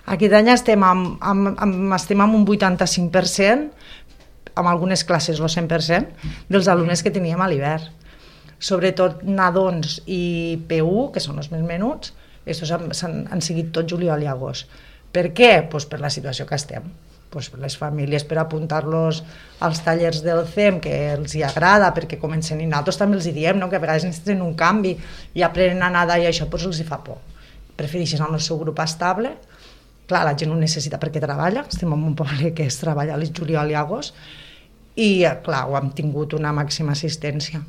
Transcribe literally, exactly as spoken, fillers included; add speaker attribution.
Speaker 1: Aquest any estem amb, amb, amb, estem amb un vuitanta-cinc per cent, amb algunes classes el cent per cent, dels alumnes que teníem a l'hivern. Sobretot nadons i P u, que són els més menuts, estos han, han, han seguit tot juliol i agost. Per què? Pues per la situació que estem. Pues per les famílies, per apuntar-los als tallers del C E M, que els hi agrada, perquè comencen, i nosaltres també els hi diem, no? Que a vegades necessiten un canvi i aprenen a nedar i això pues els hi fa por. Prefereixen el seu grup estable. Clar, la gent ho necessita perquè treballa, estem en un poble que es treballa a juliol i agost, i clar, ho hem tingut una màxima assistència.